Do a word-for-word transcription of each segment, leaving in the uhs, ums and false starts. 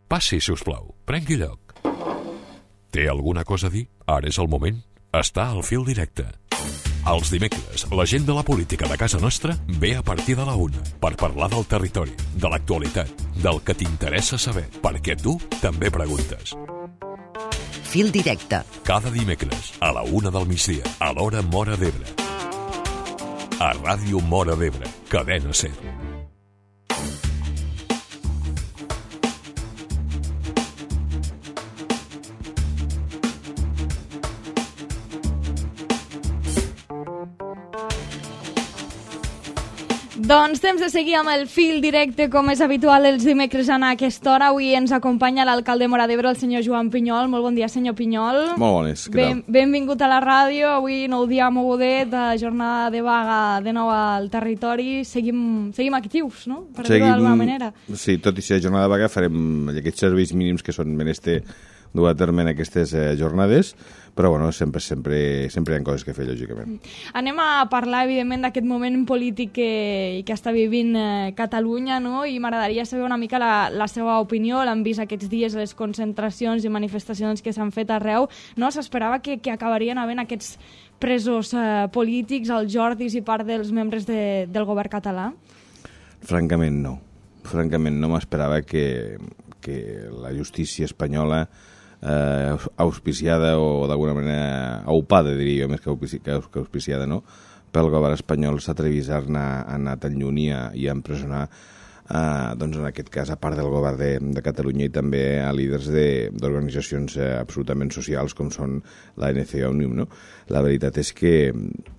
Passi, si us plau, prengui lloc. Té alguna cosa a dir? Ara és el moment. Està al Fil Directe. Els dimecres, la gent de la política de casa nostra ve a partir de la una per parlar del territori, de l'actualitat, del que t'interessa saber, perquè tu també preguntes. Fil Directe. Cada dimecres, a la una del migdia, a l'hora Móra d'Ebre. A Ràdio Móra d'Ebre, Cadena Ser. Doncs temps de seguir amb el Fil Directe, com és habitual els dimecres a aquesta hora. Avui ens acompanya l'alcalde de Móra d'Ebre, el senyor Joan Pinyol. Molt bon dia, senyor Pinyol. Molt bones, què Ben, tal? benvingut a la ràdio. Avui nou dia mogudet, de jornada de vaga de nou al territori. Seguim, seguim actius, no? Per dir-ho d'alguna manera. Sí, tot i ser jornada de vaga farem aquests serveis mínims que són menester dur a terme en aquestes eh, jornades, però bueno, sempre, sempre, sempre hi ha coses que fer, lògicament. Anem a parlar, evidentment, d'aquest moment polític que, que està vivint eh, Catalunya, no? I m'agradaria saber una mica la, la seva opinió. L'han vist aquests dies les concentracions i manifestacions que s'han fet arreu. No s'esperava que, que acabarien havent aquests presos eh, polítics, els Jordis i part dels membres de, del govern català? Francament, no. Francament, no m'esperava que, que la justícia espanyola eh, auspiciada o d'alguna manera aupada, diria jo, més que, auspici, que auspiciada, no? Pel govern espanyol s'atrevís a anar, a anar tan lluny i a, i a empresonar, eh, doncs en aquest cas, a part del govern de, de Catalunya i també a líders d'organitzacions eh, absolutament socials com són la N C Òmnium, no? La veritat és que,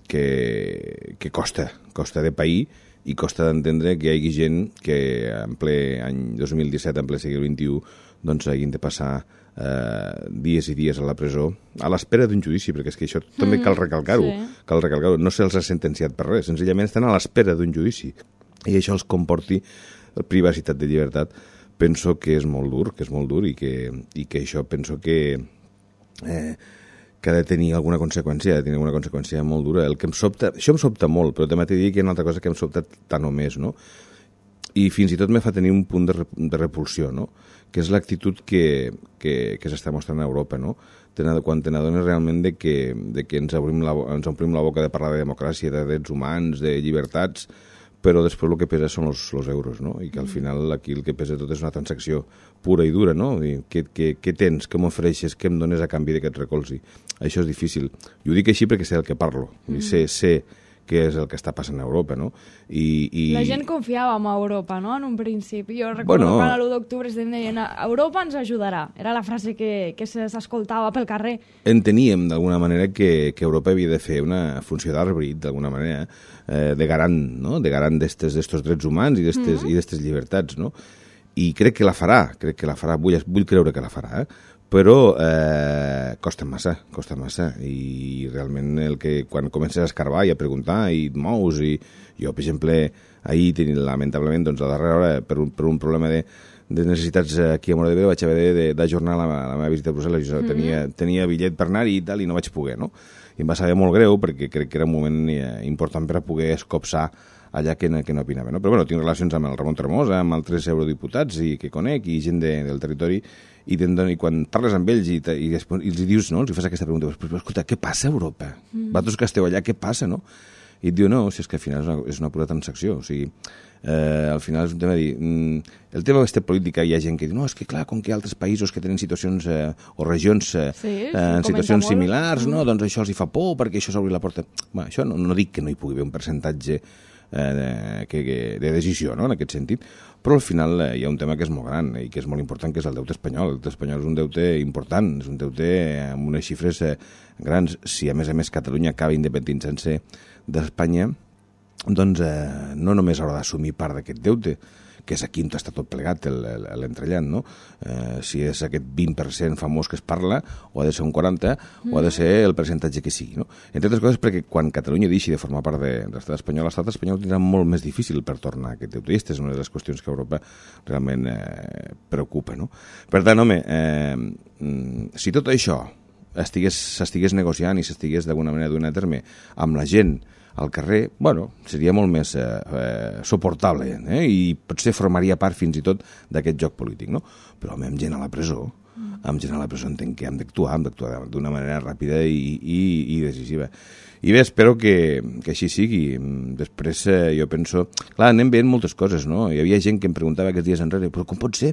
que, que costa, costa de pair i costa d'entendre que hi hagi gent que en ple any dos mil disset, en ple segle vint-i-u, doncs hagin de passar eh, dies i dies a la presó a l'espera d'un judici, perquè és que això també cal recalcar-ho, sí. cal recalcar-ho. No se'ls ha sentenciat per res, senzillament estan a l'espera d'un judici i això els comporti privacitat de llibertat. Penso que és molt dur, que és molt dur i que, i que això penso que eh, que ha de tenir alguna conseqüència, ha de tenir alguna conseqüència molt dura. El que em sobta, això em sobta molt, però també t'he dit que hi ha una altra cosa que em sobta tant o més, no? I fins i tot me fa tenir un punt de, rep de repulsió, no? Que és l'actitud que, que, que s'està mostrant a Europa, no? Quan te n'adones realment de que, de que ens, obrim la, ens omplim la boca de parlar de democràcia, de drets humans, de llibertats, però després el que pesa són els, els euros, no? I que al final aquí el que pesa tot és una transacció pura i dura, no? I què, què, què tens, què m'ofereixes, què em dones a canvi d'aquest recolzi? Això és difícil. Jo ho dic així perquè sé el que parlo, mm. i sé, sé què és el que està passant a Europa, no? I, i... La gent confiava en Europa, no?, en un principi. Jo recordo bueno, quan a l'u d'octubre es deien Europa ens ajudarà. Era la frase que, que s'escoltava pel carrer. Enteníem, d'alguna manera, que, que Europa havia de fer una funció d'àrbit, d'alguna manera, eh, de garant, no?, de garant d'estes drets humans i d'estes mm. i d'estes llibertats, no? I crec que la farà, crec que la farà, vull, vull creure que la farà, eh? Però eh, costa massa, costa massa, i realment el que quan comences a escarbar i a preguntar i et mous, i jo, per exemple, ahir, tenint, lamentablement, doncs, a darrera hora, per un, per un problema de, de necessitats aquí a Móra d'Ebre, vaig haver d'ajornar la, la meva visita a Brussel·les, jo mm-hmm. tenia, tenia bitllet per anar-hi i tal, i no vaig poder, no? I em va saber molt greu, perquè crec que era un moment eh, important per a poder escopsar allà que no, que no opinava, no? Però bueno, tinc relacions amb el Ramon Tremosa, amb altres eurodiputats i que conec, i gent de, del territori, i, i quan parles amb ells i, i, i els dius, no?, els fas aquesta pregunta, però, però escolta, què passa a Europa? Mm. Vosaltres que esteu allà, què passa, no? I et diu, no, si és que al final és una, és una pura transacció, o sigui, eh, al final és un tema de dir, mm, el tema d'aquesta política hi ha gent que diu, no, és que clar, com que altres països que tenen situacions eh, o regions eh, sí, eh, en situacions molt. similars, mm. no, doncs això els hi fa por perquè això s'obri la porta. Bé, això no, no dic que no hi pugui haver un percentatge eh, de, que, que, de decisió, no?, en aquest sentit, però al final eh, hi ha un tema que és molt gran i que és molt important, que és el deute espanyol. El deute espanyol és un deute important, és un deute amb unes xifres eh, grans. Si a més a més Catalunya acaba independitzant-se d'Espanya, doncs eh, no només haurà d'assumir part d'aquest deute, que és aquí on està tot plegat l'entrellat, no? Eh, si és aquest vint per cent famós que es parla, o ha de ser un quaranta, mm. o ha de ser el percentatge que sigui, no? Entre altres coses perquè quan Catalunya deixi de formar part de, de l'estat espanyol, l'estat espanyol tindrà molt més difícil per tornar a aquest deute. I aquesta és una de les qüestions que a Europa realment eh, preocupa, no? Per tant, home, eh, si tot això s'estigués negociant i s'estigués d'alguna manera donant a terme amb la gent al carrer, bueno, seria molt més eh, eh, suportable, eh? I potser formaria part fins i tot d'aquest joc polític, no? Però home, amb gent a la presó, mm. amb gent a la presó entenc que hem d'actuar, hem d'actuar d'una manera ràpida i, i, i decisiva. I bé, espero que, que així sigui. Després eh, jo penso... Clar, anem veient moltes coses, no? Hi havia gent que em preguntava aquests dies enrere, però com pot ser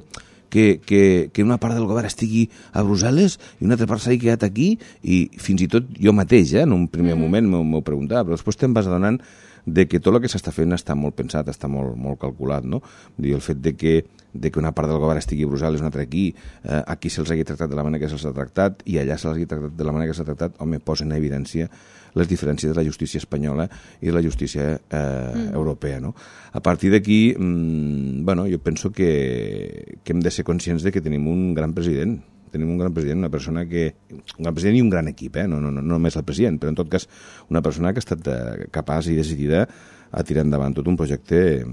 que, que, que una part del govern estigui a Brussel·les i una altra part s'hagi quedat aquí? I fins i tot jo mateix, eh, en un primer mm. moment m'ho preguntava, però després te'n vas adonant de que tot el que s'està fent està molt pensat, està molt, molt calculat, no? Dir, el fet de que, de que una part del govern estigui a Brussel·les, una altra aquí, eh, aquí se'ls hagi tractat de la manera que se'ls ha tractat i allà se'ls hagi tractat de la manera que s'ha tractat, home, posa en evidència les diferències de la justícia espanyola i de la justícia eh, mm. europea, no? A partir d'aquí, mmm, bueno, jo penso que, que hem de ser conscients de que tenim un gran president, tenim un gran president, una persona que... Un gran president i un gran equip, eh? no, no, no només el president, però en tot cas una persona que ha estat eh, capaç i decidida a tirar endavant tot un projecte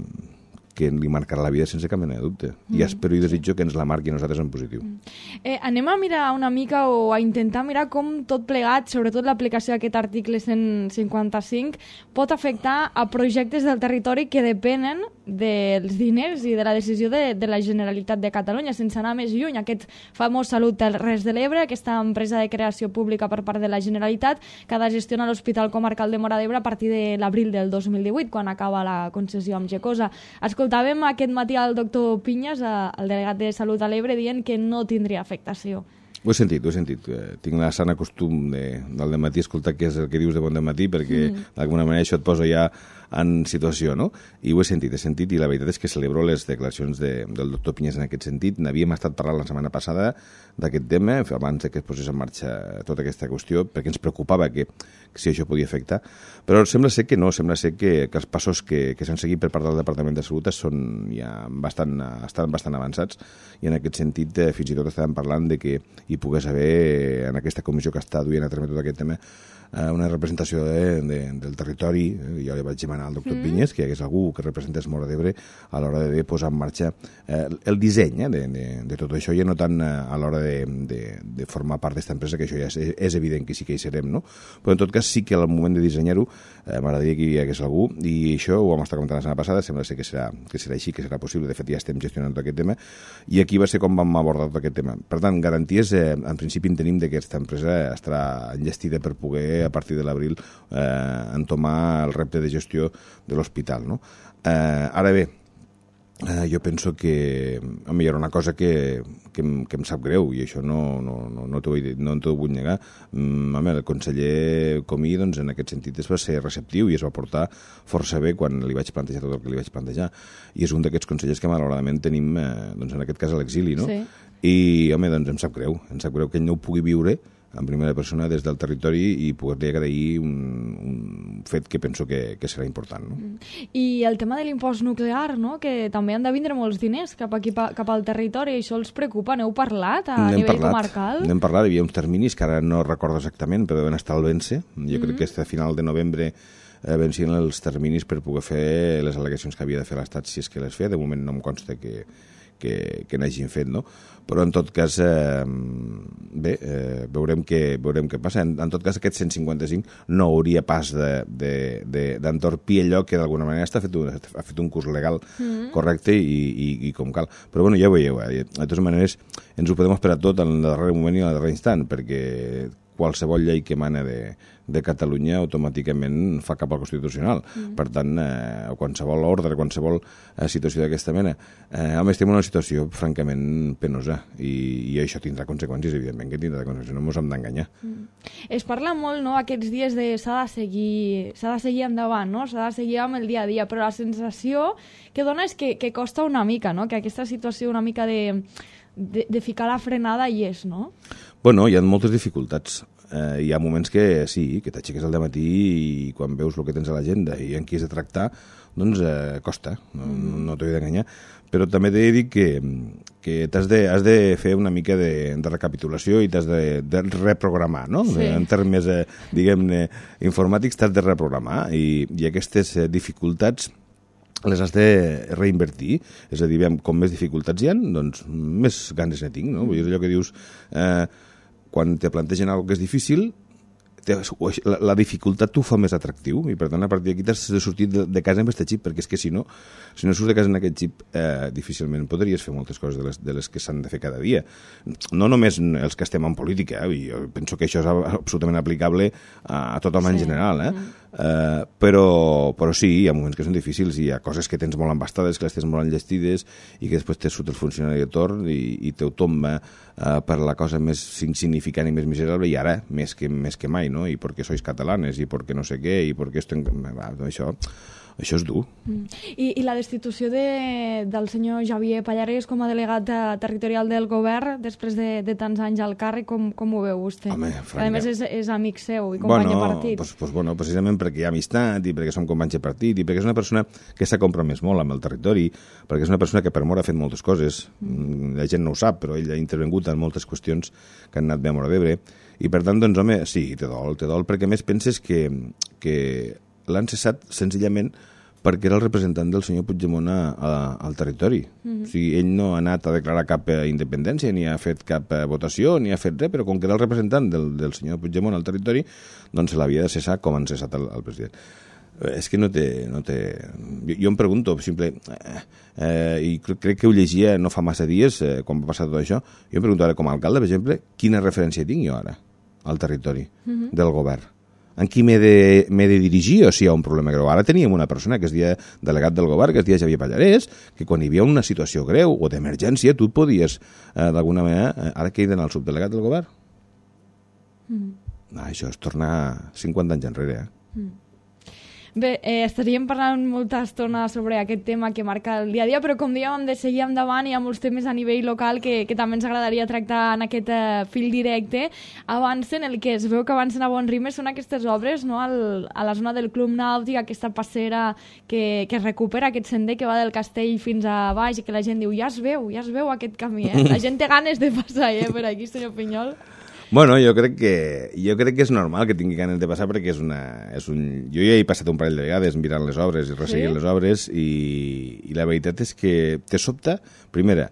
que li marcarà la vida sense cap mena de dubte. Mm. I espero i desitjo que ens la marqui a nosaltres en positiu. Mm. Eh, anem a mirar una mica o a intentar mirar com tot plegat, sobretot l'aplicació d'aquest article cent cinquanta-cinc, pot afectar a projectes del territori que depenen dels diners i de la decisió de, de la Generalitat de Catalunya, sense anar més lluny. Aquest famós Salut Terres de l'Ebre, aquesta empresa de creació pública per part de la Generalitat, que ha de gestionar l'Hospital Comarcal de Móra d'Ebre a partir de l'abril del dos mil divuit, quan acaba la concessió amb Gecosa. Escoltàvem aquest matí al doctor Pinyes, el delegat de Salut a l'Ebre, dient que no tindria afectació. Ho he sentit, ho he sentit. Tinc la sana costum de, del dematí escoltar què és el que dius de bon dematí, perquè mm. d'alguna manera això et posa ja en situació, no? I ho he sentit, he sentit, i la veritat és que celebro les declaracions de, del doctor Pinyes en aquest sentit. N'havíem estat parlant la setmana passada d'aquest tema, abans que es posés en marxa tota aquesta qüestió, perquè ens preocupava que, que si això podia afectar. Però sembla ser que no, sembla ser que, que els passos que, que s'han seguit per part del Departament de Salut són ja bastant, estan bastant avançats, i en aquest sentit eh, fins i tot estàvem parlant de que hi pogués haver, en aquesta comissió que està duent a terme tot aquest tema, una representació de, de, del territori. Jo li vaig demanar al doctor mm. Pinyes que hi hagués algú que representés Móra d'Ebre a l'hora de posar en marxa eh, el disseny eh, de, de, de tot això, i no tant a l'hora de, de, de formar part d'aquesta empresa, que això ja és, és evident que sí que hi serem, no? Però en tot cas sí que al moment de dissenyar-ho eh, m'agradaria que hi hagués algú, i això ho vam estar comentant la setmana passada, sembla ser que serà, que serà així, que serà possible. De fet ja estem gestionant tot aquest tema, i aquí va ser com vam abordar tot aquest tema. Per tant, garanties, eh, en principi en tenim, que aquesta empresa estarà enllestida per poder a partir de l'abril eh, entomar el repte de gestió de l'hospital, no? Eh, ara bé, eh, jo penso que home, hi ha una cosa que, que, em, que em sap greu, i això no, no, no, no t'ho vull, no vull negar. Mm, home, el conseller Comí, doncs, en aquest sentit es va ser receptiu i es va portar força bé quan li vaig plantejar tot el que li vaig plantejar, i és un d'aquests consellers que malauradament tenim, eh, doncs, en aquest cas a l'exili, no? Sí. I, home, doncs em sap greu, em sap greu que ell no ho pugui viure en primera persona des del territori i poder-li agrair un, un fet que penso que, que serà important, no? I el tema de l'impost nuclear, no? Que també han de vindre molts diners cap aquí, cap al territori, i això els preocupa. N'heu parlat a nivell parlat, comarcal? N'hem parlat, hi havia uns terminis que ara no recordo exactament, però deuen estar al vèncer. Jo mm-hmm. crec que a final de novembre eh, vencien els terminis per poder fer les al·legacions que havia de fer l'Estat, si és que les feia. De moment no em consta que que, que n'hagin fet, no? Però en tot cas, eh, bé, eh, veurem, què, veurem què passa. En, en tot cas, aquest cent cinquanta-cinc no hauria pas d'entorpir allò que d'alguna manera està fet un, ha fet un curs legal mm. correcte i, i, i com cal. Però bueno, ja ho veieu, eh? De totes maneres ens ho podem esperar tot en el darrer moment i en el darrer instant, perquè qualsevol llei que emana de, de Catalunya automàticament fa cap al Constitucional. Mm. Per tant, eh, qualsevol ordre, qualsevol eh, situació d'aquesta mena. Eh, home, estem en una situació francament penosa, i, i això tindrà conseqüències, evidentment que tindrà conseqüències, no ens hem d'enganyar. Mm. Es parla molt, no?, aquests dies de s'ha de seguir, s'ha de seguir endavant, no?, s'ha de seguir amb el dia a dia, però la sensació que dona és que, que costa una mica, no?, que aquesta situació una mica de, de, de ficar la frenada hi és, no? Bueno, hi ha moltes dificultats. Eh, hi ha moments que sí, que t'aixeques al dematí i quan veus el que tens a l'agenda i en qui has de tractar, doncs eh, costa, no, mm. no t'ho he d'enganyar. Però també t'he de dir que, que t'has de, has de fer una mica de, de recapitulació i t'has de, de reprogramar, no? Sí. En termes, eh, diguem-ne, informàtics, t'has de reprogramar, i, i aquestes eh, dificultats les has de reinvertir. És a dir, com més dificultats hi ha, doncs més ganes ne tinc, no? Vull dir, allò que dius... Eh, quan te plantegen alguna cosa que és difícil, la, la dificultat t'ho fa més atractiu i per tant a partir d'aquí t'has de sortir de, de casa amb aquest xip, perquè és que si no si no surts de casa amb aquest xip eh, difícilment podries fer moltes coses de les, de les que s'han de fer cada dia, no només els que estem en política, eh? Jo penso que això és absolutament aplicable a, a tothom sí. en general, eh? Mm. Uh, però, però sí, hi ha moments que són difícils, hi ha coses que tens molt embastades, que les tens molt enllestides i que després te surt el funcionari de torn i, i te ho tomba uh, per la cosa més insignificant i més miserable, i ara més que, més que mai, no? I perquè sois catalanes, i perquè no sé què, i perquè esto... Va, això... Això és dur. Mm. I, I la destitució de, del senyor Javier Pallares com a delegat territorial del govern després de, de tants anys al càrrec, com, com ho veu vostè? Home, a més, és, és amic seu i company bueno, de partit. Pues, pues, bueno, precisament perquè hi ha amistat i perquè som companys de partit i perquè és una persona que s'ha compromès molt amb el territori, perquè és una persona que per mort ha fet moltes coses. Mm. La gent no ho sap, però ell ha intervingut en moltes qüestions que han anat bé a Móra d'Ebre. I per tant, doncs, home, sí, te dol, te dol, perquè més penses que, que l'han cessat senzillament perquè era el representant del senyor Puigdemont a, a, al territori. Mm-hmm. O sigui, ell no ha anat a declarar cap independència, ni ha fet cap votació, ni ha fet res, però com que era el representant del, del senyor Puigdemont al territori, doncs se l'havia de cessar com han cessat el, el president. És que no té... No té... Jo, jo em pregunto, simple, eh, eh, i crec que ho llegia no fa massa dies, eh, quan va passar tot això, jo em pregunto ara, com a alcalde, per exemple, quina referència tinc jo ara al territori mm-hmm. del govern? En qui m'he de, m'he de dirigir o si hi ha un problema greu? Ara teníem una persona que es deia delegat del govern, que es deia Javier Pallares, que quan hi havia una situació greu o d'emergència, tu et podies, eh, d'alguna manera, eh, ara que hi ha el subdelegat del govern? Mm. Ah, això és tornar cinquanta anys enrere, eh? Mm. Bé, eh, estaríem parlant molta estona sobre aquest tema que marca el dia a dia, però com dèiem, hem de seguir endavant, hi ha molts temes a nivell local que, que també ens agradaria tractar en aquest eh, fil directe. Avancen, el que es veu que avancen a bon ritme són aquestes obres, no? Al, a la zona del Club Nàutic, aquesta passera que, que recupera aquest sender que va del castell fins a baix i que la gent diu, ja es veu, ja es veu aquest camí, eh? La gent té ganes de passar, eh, per aquí, senyor Pinyol. Bueno, jo crec que jo crec que és normal que tingui ganes de passar perquè és una... És un, jo ja he passat un parell de vegades mirant les obres i resseguint sí? les obres i, i la veritat és que te sobta, primera,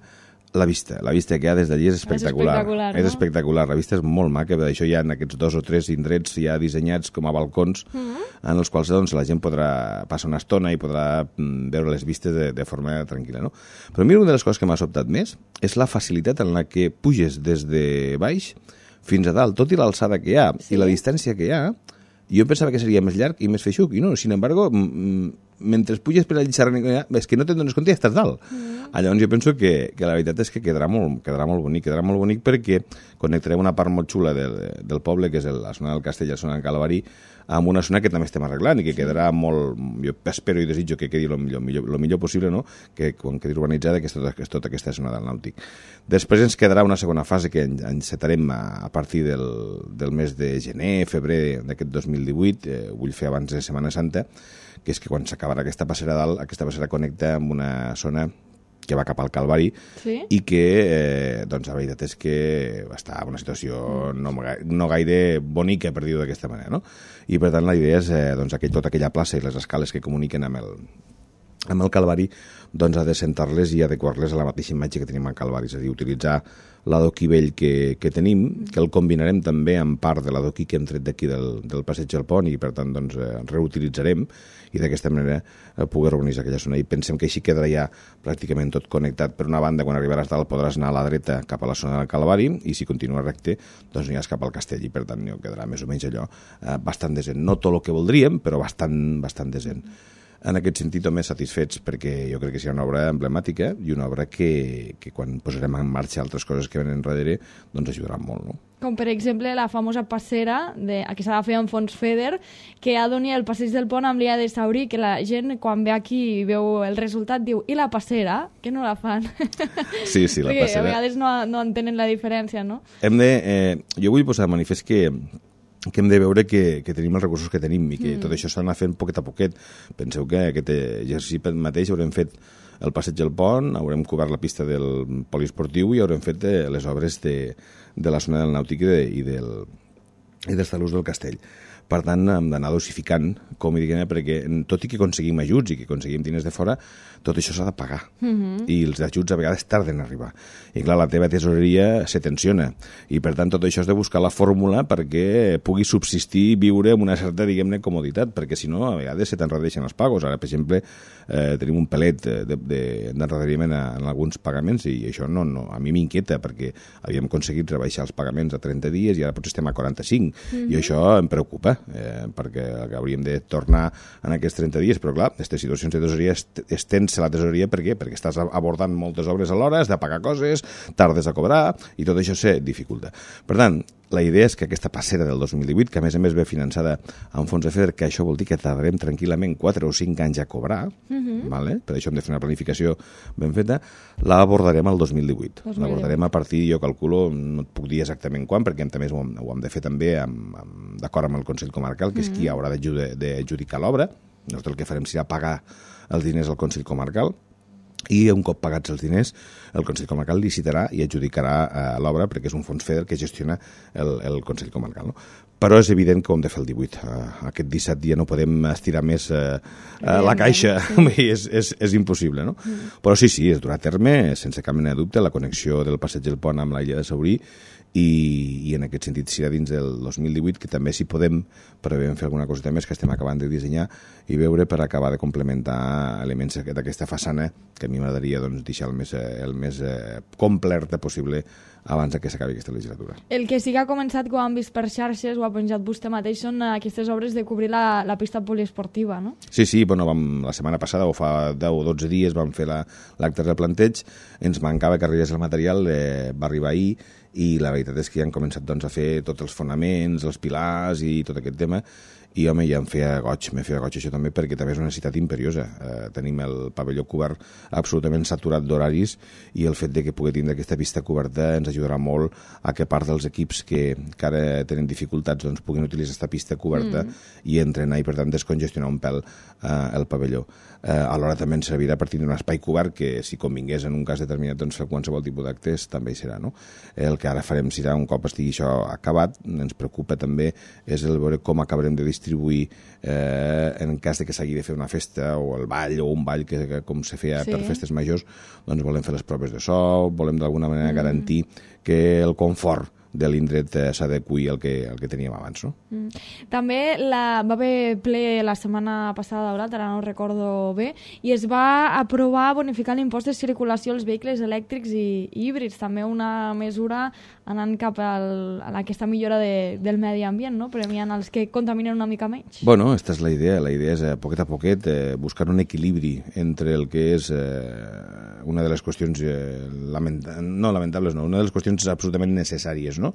la vista. La vista que hi ha des d'allí és espectacular. És espectacular, no? És espectacular. La vista és molt maca, per això hi ha aquests dos o tres indrets ja dissenyats com a balcons mm-hmm. en els quals doncs, la gent podrà passar una estona i podrà mm, veure les vistes de, de forma tranquil·la. No? Però mira, una de les coses que m'ha sobtat més és la facilitat en la que puges des de baix fins a dalt, tot i l'alçada que hi ha sí. i la distància que hi ha, jo pensava que seria més llarg i més feixuc, i no, sin embargo, mentre puges per allà xerrant, és que no te'n dones compte i estàs dalt. Mm. Llavors jo penso que, que la veritat és que quedarà molt, quedarà molt bonic, quedarà molt bonic perquè connectarem una part molt xula del, del poble, que és la zona del Castell, la zona del Calvari, amb una zona que també estem arreglant i que quedarà molt... Jo espero i desitjo que quedi el millor, millor, lo millor possible, no? Que quan quedi urbanitzada que és tota, que és tota aquesta zona del Nàutic. Després ens quedarà una segona fase que encetarem a, a partir del, del mes de gener, febrer d'aquest dos mil divuit, eh, ho vull fer abans de Setmana Santa, que és que quan s'acabarà aquesta passera dalt, aquesta passera connecta amb una zona que va cap al Calvari sí? i que, eh, doncs, la veritat és que està en una situació no, no gaire bonica, per dir-ho d'aquesta manera, no? I, per tant, la idea és, eh, doncs, aquell, tota aquella plaça i les escales que comuniquen amb el, amb el Calvari, doncs, ha de sentar-les i adequar-les a la mateixa imatge que tenim al Calvari, és a dir, utilitzar l'adoquí vell que, que tenim, que el combinarem també amb part de l'adoquí que hem tret d'aquí del, del passeig del Pont i, per tant, doncs, eh, reutilitzarem i d'aquesta manera eh, poder organitzar aquella zona. I pensem que així quedarà ja pràcticament tot connectat. Per una banda, quan arribaràs dalt podràs anar a la dreta cap a la zona del Calvari i si continua recte, doncs aniràs cap al Castell i, per tant, no quedarà més o menys allò eh, bastant decent. No tot el que voldríem, però bastant, bastant decent. En aquest sentit, home, satisfets perquè jo crec que serà una obra emblemàtica i una obra que, que quan posarem en marxa altres coses que venen darrere, doncs ajudaran molt, no? Com, per exemple, la famosa passera de, que s'ha de fer en fons FEDER, que ha d'unir el passeig del Pont amb l'Ia de Saurí, que la gent, quan ve aquí i veu el resultat, diu, i la passera? Que no la fan? Sí, sí, la Perquè passera. A vegades no, no entenen la diferència, no? Hem de... Eh, jo vull posar de manifest que que hem de veure que, que tenim els recursos que tenim i que mm. tot això s'ha d'anar fent poquet a poquet. Penseu que aquest exercici mateix haurem fet el passeig del Pont, haurem cobert la pista del poliesportiu i haurem fet les obres de, de la zona del Nàutic i, de, i, del, i dels talús del Castell. Per tant, hem d'anar dosificant, com diguem, perquè tot i que aconseguim ajuts i que aconseguim diners de fora, tot això s'ha de pagar. Mm-hmm. I els ajuts a vegades tarden a arribar. I clar, la teva tesoreria se tensiona. I per tant, tot això has de buscar la fórmula perquè pugui subsistir i viure amb una certa, diguem-ne, comoditat, perquè si no, a vegades se t'enredeixen els pagos. Ara, per exemple, eh, tenim un pelet d'enredariment en alguns pagaments i això no, no, a mi m'inquieta perquè havíem aconseguit rebaixar els pagaments a trenta dies i ara potser estem a quaranta-cinc. Mm-hmm. I això em preocupa, eh, perquè hauríem de tornar en aquests trenta dies, però clar, aquestes situacions de tesoreria es tensen la tesoreria, per què? Perquè estàs abordant moltes obres alhora, has de pagar coses, tardes a cobrar, i tot això se dificulta. Per tant, la idea és que aquesta passera del dos mil divuit, que a més a més ve finançada amb fons de FEDER, que això vol dir que tardarem tranquil·lament quatre o cinc anys a cobrar, uh-huh. vale? Per això hem de fer una planificació ben feta, l'abordarem al dos mil divuit. L'abordarem a partir, jo calculo, no et puc dir exactament quan, perquè també ho hem, ho hem de fer també amb, amb, d'acord amb el Consell Comarcal, que és uh-huh. qui haurà d'adjudicar l'obra. Nosaltres el que farem serà pagar els diners al Consell Comarcal i un cop pagats els diners el Consell Comarcal licitarà i adjudicarà eh, l'obra perquè és un fons FEDER que gestiona el, el Consell Comarcal, no? Però és evident que ho hem de fer el divuit. Uh, aquest disset dia no podem estirar més uh, uh, la caixa, sí. és, és, és impossible, no? Mm. Però sí, sí, es durà a terme, sense cap mena de dubte, la connexió del Passeig del Pont amb l'illa de Saurí i, i en aquest sentit serà dins del dos mil divuit, que també si podem prevem fer alguna coseta més que estem acabant de dissenyar i veure per acabar de complementar elements d'aquesta façana que a mi m'agradaria doncs, deixar el més, el més eh, completa possible abans que s'acabi aquesta legislatura. El que sí que ha començat, com han vist per xarxes, ho ha penjat vostè mateix, són aquestes obres de cobrir la, la pista poliesportiva, no? Sí, sí, bueno, vam, la setmana passada, o fa deu o dotze dies, vam fer l'acte la, de planteig, ens mancava que arribés el material, eh, va arribar ahir, i la veritat és que ja han començat doncs, a fer tots els fonaments, els pilars i tot aquest tema, i home, ja em feia goig, me feia goig això també, perquè també és una necessitat imperiosa. Eh, tenim el pavelló cobert absolutament saturat d'horaris i el fet de que pugui tindre aquesta pista coberta ens ajudarà molt a que part dels equips que, que ara tenen dificultats doncs, puguin utilitzar aquesta pista coberta mm. i entrenar i per tant descongestionar un pèl eh, el pavelló. Eh, alhora també ens servirà per tindre un espai cobert que si convingués en un cas determinat doncs, fer qualsevol tipus d'actes també hi serà. No? El que ara farem serà un cop estigui això acabat, ens preocupa també és el veure com acabarem de distribuir distribuir eh, en cas de que s'hagi de fer una festa o el ball o un ball que, que com se feia sí. per festes majors, doncs volem fer les proves de so, volem d'alguna manera mm. garantir que el confort de l'indret eh, s'adequi al que, al que teníem abans. No? Mm. També la, va haver ple la setmana passada d'Aurat, ara no recordo bé, i es va aprovar bonificar l'impost de circulació als vehicles elèctrics i, i híbrids, també una mesura anant cap al, a aquesta millora de, del medi ambient, no? Premiant els que contaminen una mica menys. Bueno, aquesta és la idea. La idea és, eh, poquet a poquet, eh, buscar un equilibri entre el que és eh, una de les qüestions eh, lamenta no lamentables, no, una de les qüestions absolutament necessàries, no?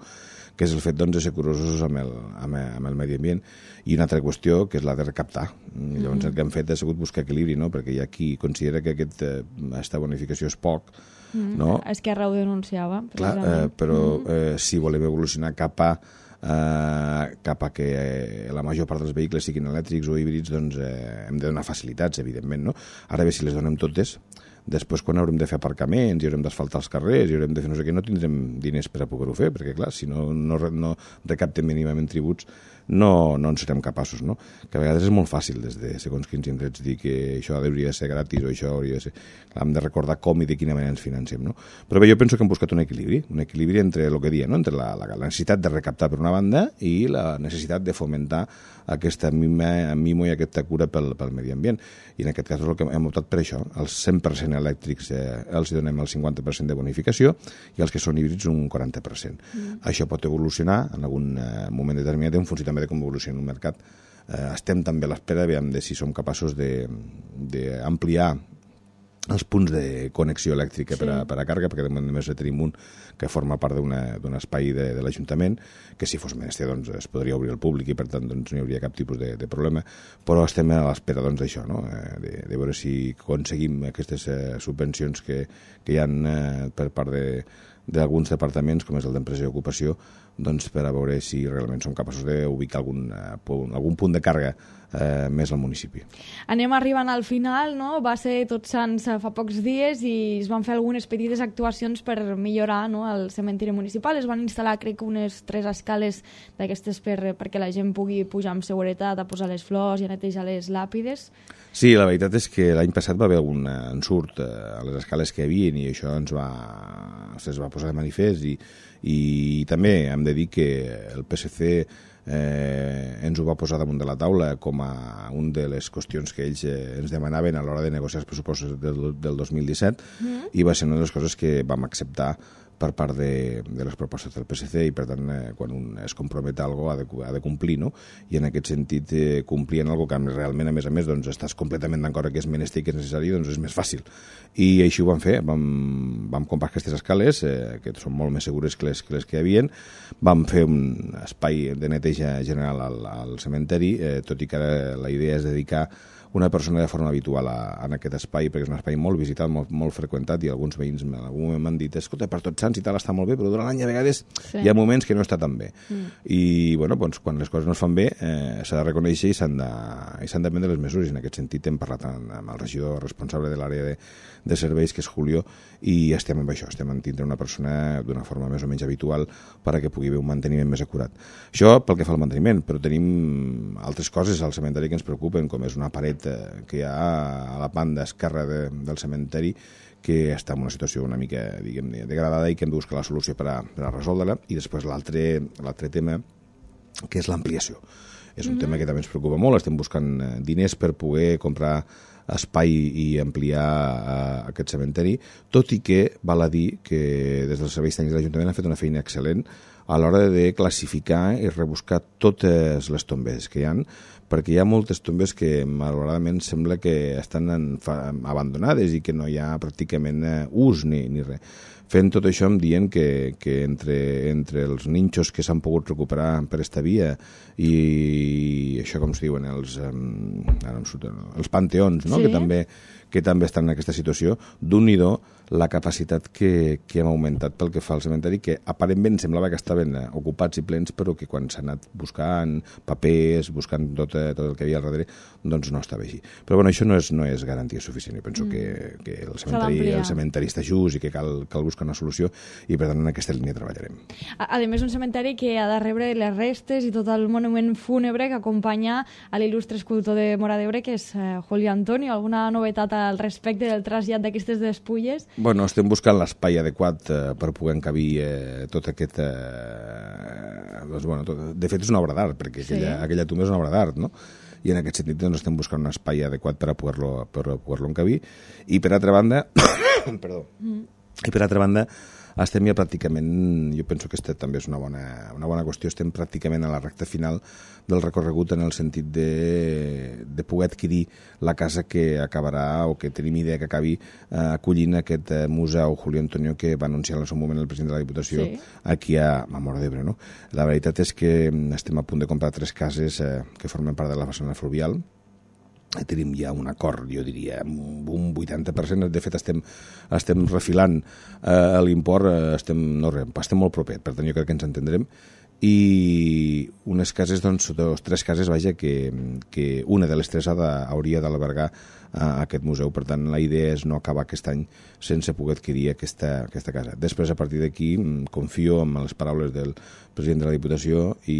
Que és el fet doncs, de ser curosos amb el, amb, el, amb el medi ambient, i una altra qüestió que és la de recaptar. I llavors mm. el que hem fet ha sigut buscar equilibri, no? Perquè hi ha qui considera que aquest, eh, aquesta bonificació és poc, mm. no? Esquerra ho denunciava. Clar, eh, però mm. eh, si volem evolucionar cap a Uh, cap a que eh, la major part dels vehicles siguin elèctrics o híbrids, doncs eh, hem de donar facilitats, evidentment, no? Ara bé, si les donem totes, després quan haurem de fer aparcaments i haurem d'asfaltar els carrers i haurem de fer no sé què, no tindrem diners per a poder-ho fer, perquè clar, si no, no, no recaptem mínimament tributs no, no en serem capaços, no? Que a vegades és molt fàcil des de segons quins indrets dir que això hauria de ser gratis o això hauria de ser... Clar, hem de recordar com i de quina manera ens financem, no? Però bé, jo penso que hem buscat un equilibri, un equilibri entre el que dia, no? Entre la, la, la necessitat de recaptar per una banda i la necessitat de fomentar aquesta mima, mimo i aquesta cura pel, pel medi ambient. I en aquest cas és el que hem optat per això. Els cent per cent elèctrics eh, els donem el cinquanta per cent de bonificació i els que són híbrids un quaranta per cent. Mm. Això pot evolucionar en algun eh, moment determinat en funció també de com evoluciona el mercat. Eh, estem també a l'espera de si som capaços d'ampliar els punts de connexió elèctrica sí. per, a, per a càrrega, perquè de moment només tenim un que forma part d'un espai de, de l'Ajuntament, que si fos menester doncs, es podria obrir al públic i per tant doncs, no hi hauria cap tipus de, de problema, però estem a l'espera doncs, d'això, no? eh, de, de veure si aconseguim aquestes eh, subvencions que, que hi ha eh, per part de d'alguns departaments, com és el d'Empresa i Ocupació, doncs per a veure si realment som capaços d'ubicar algun, eh, punt, algun punt de càrrega eh, més al municipi. Anem arribant al final, no? Va ser Tots Sants fa pocs dies i es van fer algunes petites actuacions per millorar, no?, el cementiri municipal. Es van instal·lar, crec, unes tres escales d'aquestes per, perquè la gent pugui pujar amb seguretat a posar les flors i a netejar les làpides. Sí, la veritat és que l'any passat va haver algun ensurt a les escales que hi havia i això ens va, es va posar de manifest i, i també hem de dir que el P S C eh, ens ho va posar damunt de la taula com a una de les qüestions que ells eh, ens demanaven a l'hora de negociar els pressupostos del, del dos mil disset mm. i va ser una de les coses que vam acceptar per part de, de les propostes del P S C i per tant eh, quan un es compromet a alguna cosa ha de, ha de complir, no? I en aquest sentit eh, complir en alguna cosa que realment a més a més doncs, estàs completament d'acord que és menester i que és necessari, doncs és més fàcil. I així ho vam fer, vam, vam comprar aquestes escales eh, que són molt més segures que les que, les que hi havien, vam fer un espai de neteja general al, al cementeri, eh, tot i que ara la idea és dedicar una persona de forma habitual a, a aquest espai, perquè és un espai molt visitat, molt, molt freqüentat, i alguns veïns en algun moment m'han dit, escolta, per Tots Sants i tal està molt bé, però durant l'any a vegades sí. hi ha moments que no està tan bé. Mm. I, bueno, doncs, quan les coses no es fan bé, eh, s'ha de reconèixer i s'han de, i s'han de prendre les mesures. I en aquest sentit hem parlat amb, amb el regidor responsable de l'àrea de, de serveis, que és Julio, i estem amb això, estem en tindre una persona d'una forma més o menys habitual perquè pugui haver un manteniment més acurat. Això pel que fa al manteniment, però tenim altres coses al cementeri que ens preocupen, com és una paret que hi ha a la banda esquerra de, del cementeri que està en una situació una mica, diguem, degradada i que hem de buscar la solució per a, per a resoldre-la. I després l'altre l'altre tema, que és l'ampliació. És un mm-hmm. tema que també ens preocupa molt. Estem buscant diners per poder comprar espai i ampliar uh, aquest cementeri, tot i que val a dir que des dels serveis tècnics de l'Ajuntament han fet una feina excel·lent a l'hora de classificar i rebuscar totes les tombes que hi ha, perquè hi ha moltes tombes que malauradament sembla que estan en, fa, abandonades i que no hi ha pràcticament uh, ús ni, ni res. Fent tot això em dient que, que entre, entre els ninxos que s'han pogut recuperar per esta via i això com es diuen, els, um, els panteons, no? Sí. que, també, que també estan en aquesta situació, d'un-i-do la capacitat que, que hem augmentat pel que fa al cementeri, que aparentment semblava que estaven ocupats i plens, però que quan s'ha anat buscant papers, buscant tot, tot el que hi havia al darrere, doncs no estava així. Però bueno, això no és, no és garantia suficient. Jo penso mm. que, que el, cementeri, el cementeri està just i que cal, cal buscar una solució i per tant en aquesta línia treballarem. A, a més, un cementeri que ha de rebre les restes i tot el monument fúnebre que acompanya a l'il·lustre escultor de Móra d'Ebre, que és eh, Julio Antonio. Alguna novetat al respecte del trasllat d'aquestes despulles? Bueno, estem buscant l'espai adequat eh, per poder encabir eh, tot aquest... Eh, doncs, bueno, tot, de fet, és una obra d'art, perquè sí. aquella, aquella tumba és una obra d'art, no? I en aquest sentit doncs, estem buscant un espai adequat per a poder-lo per a poder-lo encabir. I per altra banda... perdó. Mm. I per altra banda, estem ja pràcticament, jo penso que aquesta també és una bona, una bona qüestió, estem pràcticament a la recta final del recorregut en el sentit de, de poder adquirir la casa que acabarà o que tenim idea que acabi eh, acollint aquest eh, museu Julio Antonio que va anunciar en el seu moment el president de la Diputació sí. aquí a, a Móra d'Ebre. No? La veritat és que estem a punt de comprar tres cases eh, que formen part de la façana fluvial. Tenim ja un acord, jo diria, un vuitanta per cent. De fet, estem, estem refilant eh, l'import, eh, estem, no res, estem molt proper, per tant jo crec que ens entendrem. I unes cases, doncs, dos, tres cases, vaja, que, que una de les tres ha de, hauria d'albergar a aquest museu. Per tant, la idea és no acabar aquest any sense poder adquirir aquesta, aquesta casa. Després, a partir d'aquí, confio en les paraules del president de la Diputació i,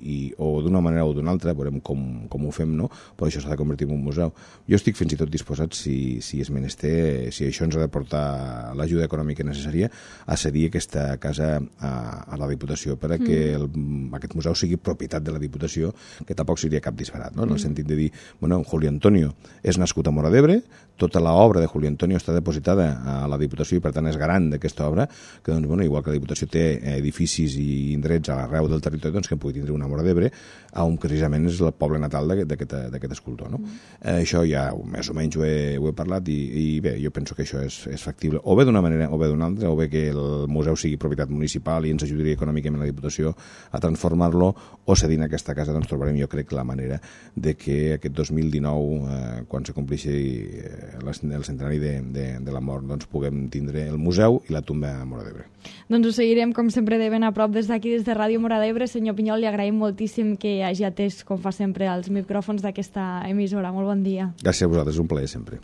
i o d'una manera o d'una altra, veurem com, com ho fem, no? Però això s'ha de convertir en un museu. Jo estic fins i tot disposat, si, si és menester, si això ens ha de portar l'ajuda econòmica necessària, a cedir aquesta casa a, a la Diputació per a que el, aquest museu sigui propietat de la Diputació, que tampoc seria cap disbarat, no? En el sentit de dir, bueno, Julio Antonio és nascut a Móra d'Ebre, tota l'obra de Julio Antonio està depositada a la Diputació i per tant és garant d'aquesta obra, que doncs, bueno, igual que la Diputació té edificis i indrets a l'arreu del territori, doncs que pugui tindre una Móra d'Ebre, on precisament és el poble natal d'aquest escultor, no? Mm. Eh, això ja més o menys ho he, ho he parlat i, i bé, jo penso que això és, és factible, o bé d'una manera o bé d'una altra, o bé que el museu sigui propietat municipal i ens ajudaria econòmicament la Diputació, disposició a transformar-lo, o cedint aquesta casa doncs trobarem, jo crec, la manera de que aquest dos mil dinou, eh, quan se complixi eh, el centenari de, de, de la mort, doncs puguem tindre el museu i la tumba a Móra d'Ebre. Doncs ho seguirem, com sempre, de ben a prop des d'aquí, des de Ràdio Móra d'Ebre. Senyor Pinyol, li agraïm moltíssim que hagi atès, com fa sempre, els micròfons d'aquesta emissora. Molt bon dia. Gràcies a vosaltres, un plaer sempre.